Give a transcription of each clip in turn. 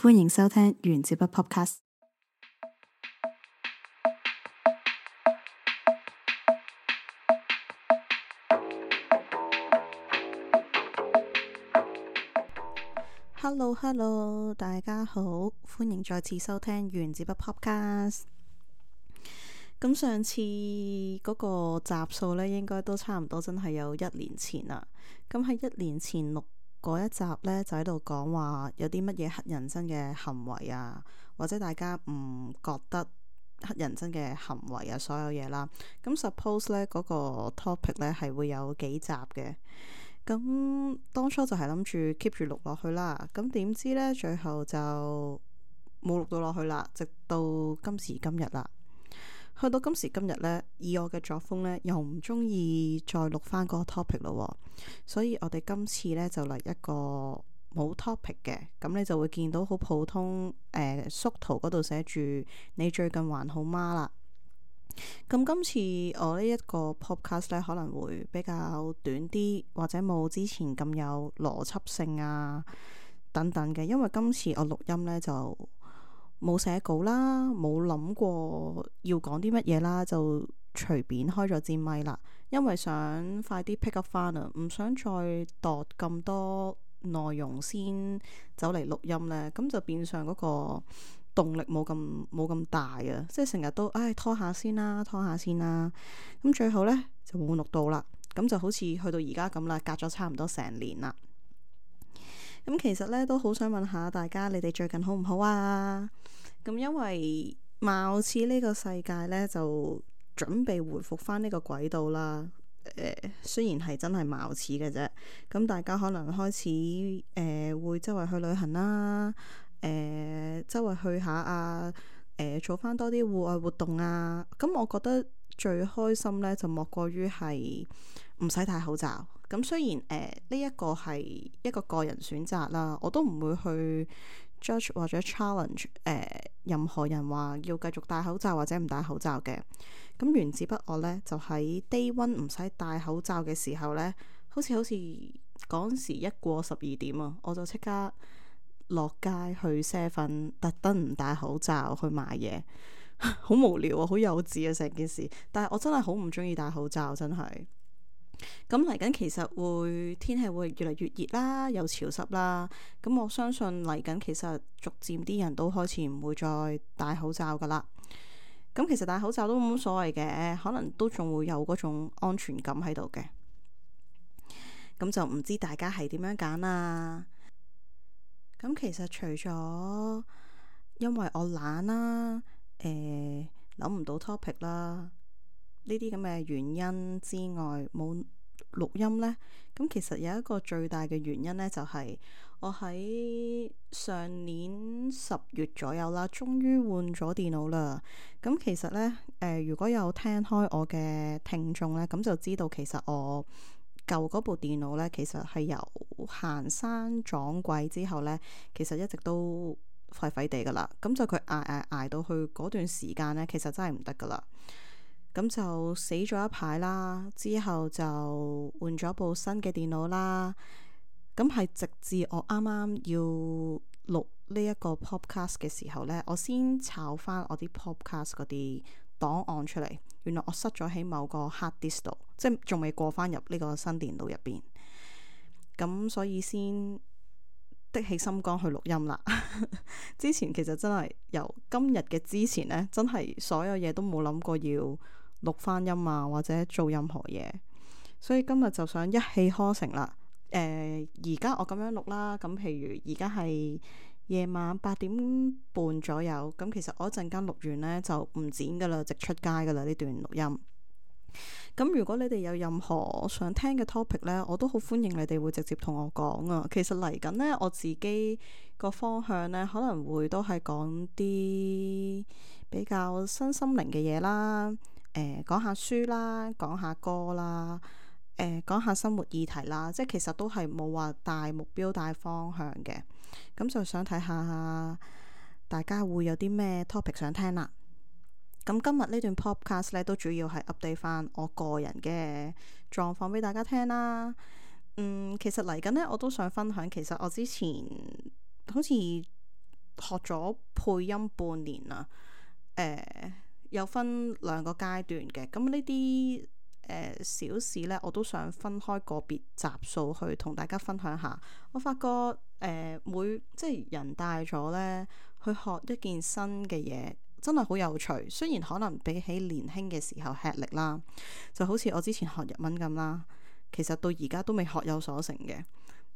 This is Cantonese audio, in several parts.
歡迎收聽原子筆 Podcast。Hello，大家好，歡迎再次收聽原子筆 Podcast。咁上次嗰個集數呢，應該都差唔多，真係有1年前啦。咁喺1年前錄嗰一集呢，就喺度講話有啲乜嘢黑人憎嘅行為啊，或者大家唔覺得黑人憎嘅行為啊，所有嘢啦。咁 suppose 呢嗰個 topic 呢係會有幾集嘅。咁當初就係諗住 keep 住錄落去啦。咁點知呢，最後就冇錄到落去啦，直到今時今日啦。去到今時今日呢，以我嘅作風呢，又唔中意再錄翻嗰個 topic 咯。所以我哋今次呢，就嚟一個冇 topic 嘅，咁你就會見到好普通縮圖嗰度寫住你最近還好嗎啦。咁今次我呢一個 podcast 呢，可能會比較短啲，或者冇之前咁有邏輯性啊等等嘅，因為今次我錄音呢，就冇寫稿啦，冇諗過要講啲乜嘢啦，就隨便開咗支咪啦。因為想快啲 pick up 翻啊，唔想再度咁多內容先走嚟錄音呢。咁就變相嗰個動力冇咁大啊，即係成日都拖下先啦，咁最後呢，就冇錄到啦。咁就好似去到而家咁啦，隔咗差唔多成年啦。咁其實呢，都好想問下大家，你哋最近好唔好啊？咁因為貌似呢個世界呢，就準備回復翻呢個軌道啦。雖然係真係貌似嘅啫。咁大家可能開始會周圍去旅行啦，周圍去下啊，做翻多啲戶外活動啊。咁我覺得最開心呢，就莫過於係唔使戴口罩。咁雖然呢一個係一個個人選擇啦，我都唔會去 judge 或者 challenge 任何人話要繼續戴口罩或者唔戴口罩嘅。咁原子筆我呢，就喺 day one 唔使戴口罩嘅時候呢，好似嗰時一過12點啊，我就即刻落街去 7-Eleven，特登唔戴口罩去買嘢。好無聊啊，好幼稚啊成件事。但係我真係好唔中意戴口罩，真係。咁嚟緊其實天氣會越嚟越熱啦，又潮濕啦。咁我相信嚟緊其實逐漸啲人都開始唔會再戴口罩噶啦。咁其實戴口罩都冇乜所謂嘅，可能都仲會有嗰種安全感喺度嘅。咁就唔知大家係點樣揀啊？咁其實除咗因為我懶啦，諗唔到 topic 啦，呢啲咁嘅原因之外，冇錄音呢。咁其實有一個最大嘅原因呢，就係我喺上年10月左右啦，終於換咗電腦啦。咁其實呢，如果有聽開我嘅聽眾呢，咁就知道其實我舊嗰部電腦呢，其實係由行山撞鬼之後呢，其實一直都廢廢地噶啦。咁就佢捱到去嗰段時間呢，其實真係唔得噶啦。咁就死咗一排啦，之後就換咗部新嘅電腦啦。咁係直至我啱啱要錄呢一個 podcast 嘅時候呢，我先抄翻我啲 podcast 嗰啲檔案出嚟。原來我塞咗喺某個 hard disk 度，即係仲未過翻入呢個新電腦入邊。咁所以先的起心肝去錄音啦。之前其實真係由今日嘅之前呢，真係所有嘢都冇諗過要錄翻音啊，或者做任何嘢。所以今日就想一氣呵成啦。而家我咁樣錄啦，咁譬如而家係夜晚8點半左右，咁其實我一陣間錄完呢，就唔剪噶啦，直出街噶啦呢段錄音。咁如果你哋有任何想聽嘅 topic 呢，我都好歡迎你哋會直接同我講啊。其實嚟緊呢，我自己個方向呢，可能會都係講啲比較身心靈嘅嘢啦，講下書啦，講下歌啦，講下生活議題啦，即係其實都係冇話大目標大方向嘅。咁就想睇下大家會有啲咩 topic 想聽啦。咁今日呢段 podcast 咧，都主要係 update 翻我個人嘅狀況俾大家聽啦。其實嚟緊呢，我都想分享，其實我之前好似學咗配音半年啦。有分兩個階段嘅，咁呢啲小事呢，我都想分開個別集數去同大家分享下。我發覺即係人大咗呢，去學一件新嘅嘢，真係好有趣。雖然可能比起年輕嘅時候吃力啦，就好似我之前學日文咁啦，其實到而家都未學有所成嘅。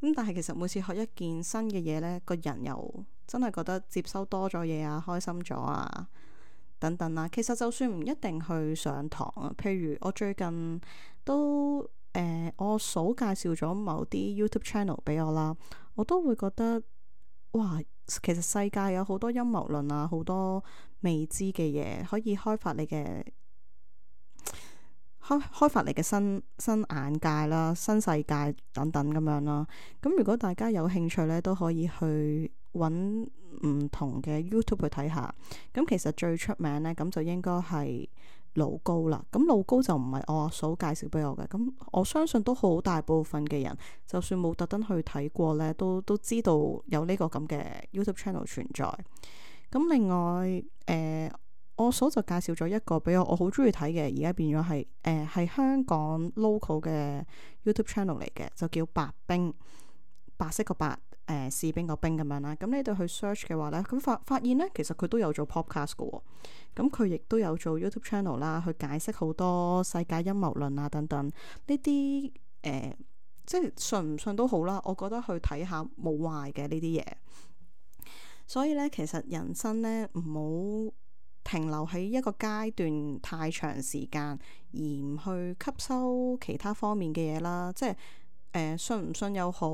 咁但係其實每次學一件新嘅嘢呢，個人又真係覺得接收多咗嘢啊，開心咗啊，等等啦。其實就算唔一定去上堂啊，譬如我最近都我嫂介紹咗某啲 YouTube channel 俾我啦，我都會覺得哇，其實世界有好多陰謀論啊，好多未知嘅嘢可以開發你嘅。開發你嘅新眼界啦，新世界等等咁樣啦。咁如果大家有興趣呢，都可以去揾唔同嘅 YouTube 去睇下。咁其實最出名呢，咁就應該係老高啦。咁老高就唔係我阿嫂介紹俾我嘅。咁我相信都好大部分嘅人，就算冇特登去睇過呢，都知道有呢個咁嘅 YouTube channel 存在。咁另外我嫂就介紹咗一個俾我好中意睇嘅，而家變咗係香港 local 嘅 YouTube channel 嚟嘅，就叫白兵，白色個白，士兵個兵咁樣啦。咁你哋去 search 嘅話呢，咁發現呢，其實佢都有做 podcast 嘅喎。咁佢亦都有做 YouTube channel 啦，去解釋好多世界陰謀論啊等等呢啲即係信唔信都好啦。我覺得去睇下冇壞嘅呢啲嘢。所以呢，其實人生呢，唔好停留喺一個階段太長時間，而唔去吸收其他方面嘅嘢啦。即係信唔信又好，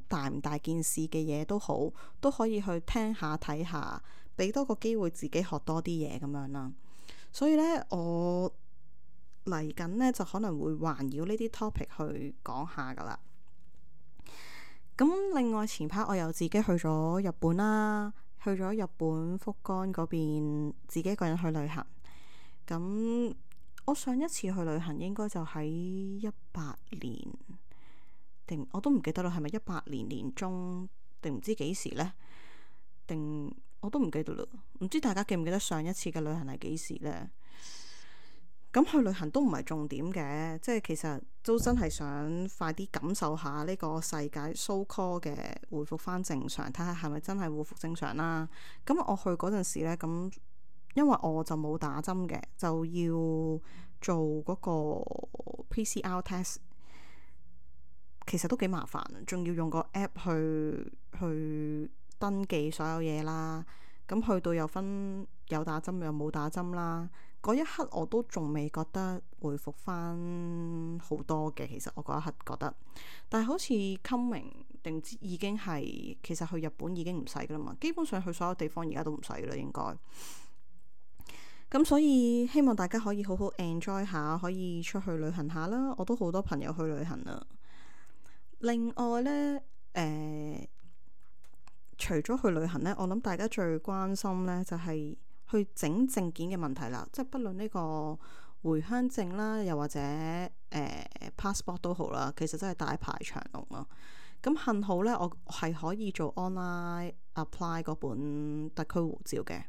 大唔大件事嘅嘢都好，都可以去聽下睇下，俾多個機會自己學多啲嘢咁樣啦。所以呢，我嚟緊呢，就可能會環繞呢啲 topic 去講下噶啦。咁另外前排我又自己去咗日本啦。去咗日本福岡嗰邊，自己一個人去旅行。咁我上一次去旅行應該就喺18年，定我都唔記得啦，係咪18年年中定唔知幾時呢？定我都唔記得啦。唔知大家記唔記得上一次嘅旅行係幾時呢？咁去旅行都唔係重點嘅，即係其實都真係想快啲感受下呢個世界 so call 嘅回復翻正常，睇下係咪真係回復正常啦。咁我去嗰陣時呢，咁因為我就冇打針嘅，就要做嗰個 PCR test，其實都幾麻煩，仲要用個 app 去登記所有嘢啦。咁去到又分有打針又冇打針啦。嗰一刻我都仲未覺得回復翻好多嘅，其實我嗰一刻覺得，但係好似 coming 定已經係，其實去日本已經唔使噶啦嘛，基本上去所有地方而家都唔使啦應該。咁所以希望大家可以好好 enjoy 下，可以出去旅行下啦。我都好多朋友去旅行啦。另外呢，除咗去旅行呢，我諗大家最關心呢就係去整證件嘅問題啦，即係不論呢個回鄉證啦，又或者passport 都好啦，其實真係大排長龍咯。咁幸好呢，我係可以做 online apply 嗰本特區護照嘅。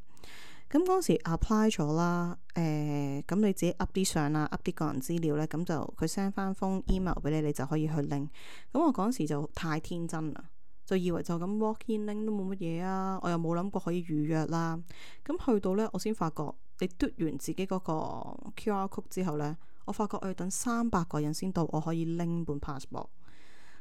咁嗰時 apply 咗啦，咁你自己 up 啲相啦，up 啲個人資料呢，咁就佢 send 翻封 email 俾你，你就可以去拎。咁我嗰時就太天真啦，就以為就咁 walk in 拎都冇乜嘢啊，我又冇諗過可以預約啦。咁去到呢，我先發覺你嘟完自己嗰個 QR code 之後呢，我發覺我要等300個人先到我可以拎本 passport，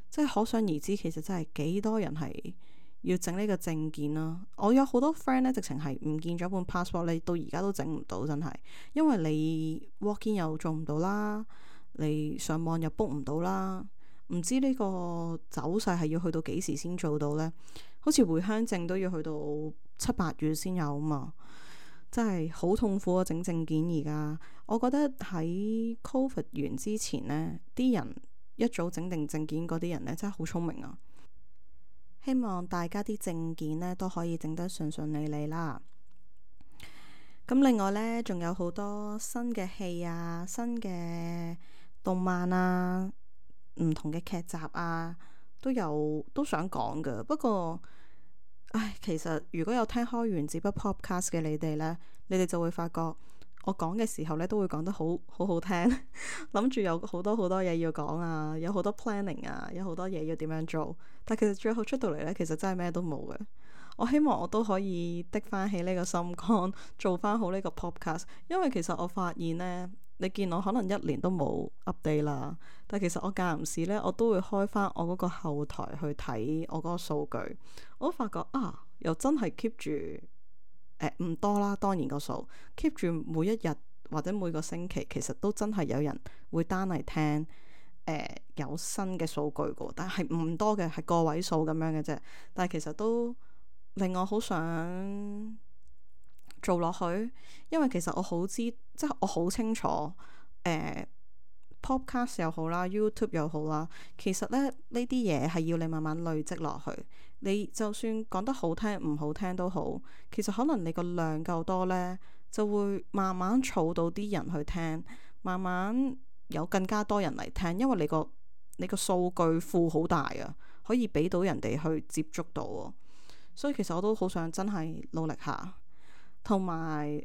即係可想而知，其實真係幾多人係要整呢個證件啦。我有好多 friend 呢，直情係唔見咗本 passport， 你到而家都整唔到，真係，因為你 walk in 又做唔到啦，你上網又 book 唔到啦。唔知呢個走勢係要去到幾時先做到呢？好似回鄉證都要去到7、8月先有啊嘛，真係好痛苦啊！整證件而家，我覺得喺 Covid 完之前呢，啲人一早整定證件嗰啲人呢，真係好聰明啊！希望大家啲證件呢都可以整得順順利利啦。咁另外呢，仲有好多新嘅戲啊，新嘅動漫啊，唔同嘅劇集啊，都想講㗎。不過其實如果有聽開原子筆 podcast 嘅你哋呢，你哋就會發覺我講嘅時候呢，都會講得好聽，諗住有好多好多嘢要講啊，有好多 planning 啊，有好多嘢要點樣做，但其實最後出到嚟呢，其實真係咩都冇嘅。我希望我都可以的翻起呢個心肝，做翻好呢個 podcast，因為其實我發現呢，你見我可能一年都冇 update 啦，但其實我間唔時呢，我都會開翻我嗰個後台去睇我嗰個數據，我都發覺又真係 keep 住唔多啦，當然個數 keep 住每一日或者每個星期，其實都真係有人會單嚟聽有新嘅數據嘅，但係唔多嘅，係個位數咁樣嘅啫，但係其實都令我好想做落去，因為其實我好知，即係我好清楚podcast 又好啦，YouTube 又好啦，其實咧呢啲嘢係要你慢慢累積落去。你就算講得好聽唔好聽都好，其實可能你個量夠多呢，就會慢慢儲到啲人去聽，慢慢有更加多人嚟聽，因為你個數據庫好大啊，可以俾到人哋去接觸到喎。所以其實我都好想真係努力下，同埋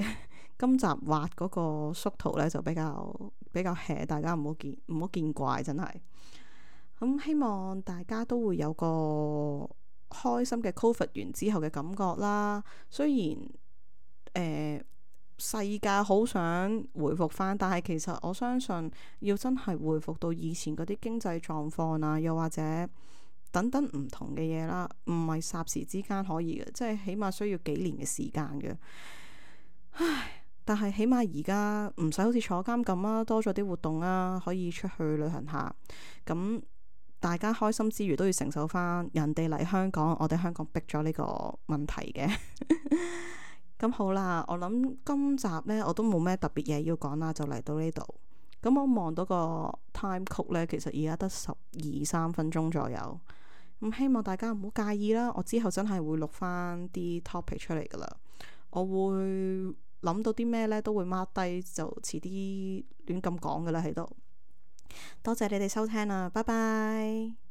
今集畫嗰個縮圖呢，就比較 hea，大家唔好見怪，真係。咁希望大家都會有個開心嘅 Covid 完之後嘅感覺啦。雖然世界好想回復翻，但係其實我相信要真係回復到以前嗰啲經濟狀況啊，又或者等等唔同嘅嘢啦，唔係霎時之間可以嘅，即係起碼需要幾年嘅時間嘅。但係起碼而家唔使好似坐監咁啊，多咗啲活動啊，可以出去旅行下。咁大家開心之餘都要承受翻人哋嚟香港，我哋香港逼咗呢個問題嘅。咁好啦，我諗今集呢，我都冇咩特別嘢要講啦，就嚟到呢度。咁我望到個 time code 呢，其實而家得12-13分鐘左右。咁希望大家唔好介意啦，我之後真係會錄翻啲 topic 出嚟噶啦。我會諗到啲咩呢，都會 mark 低，就遲啲亂咁講噶啦喺度。多謝你哋收聽啦，拜拜。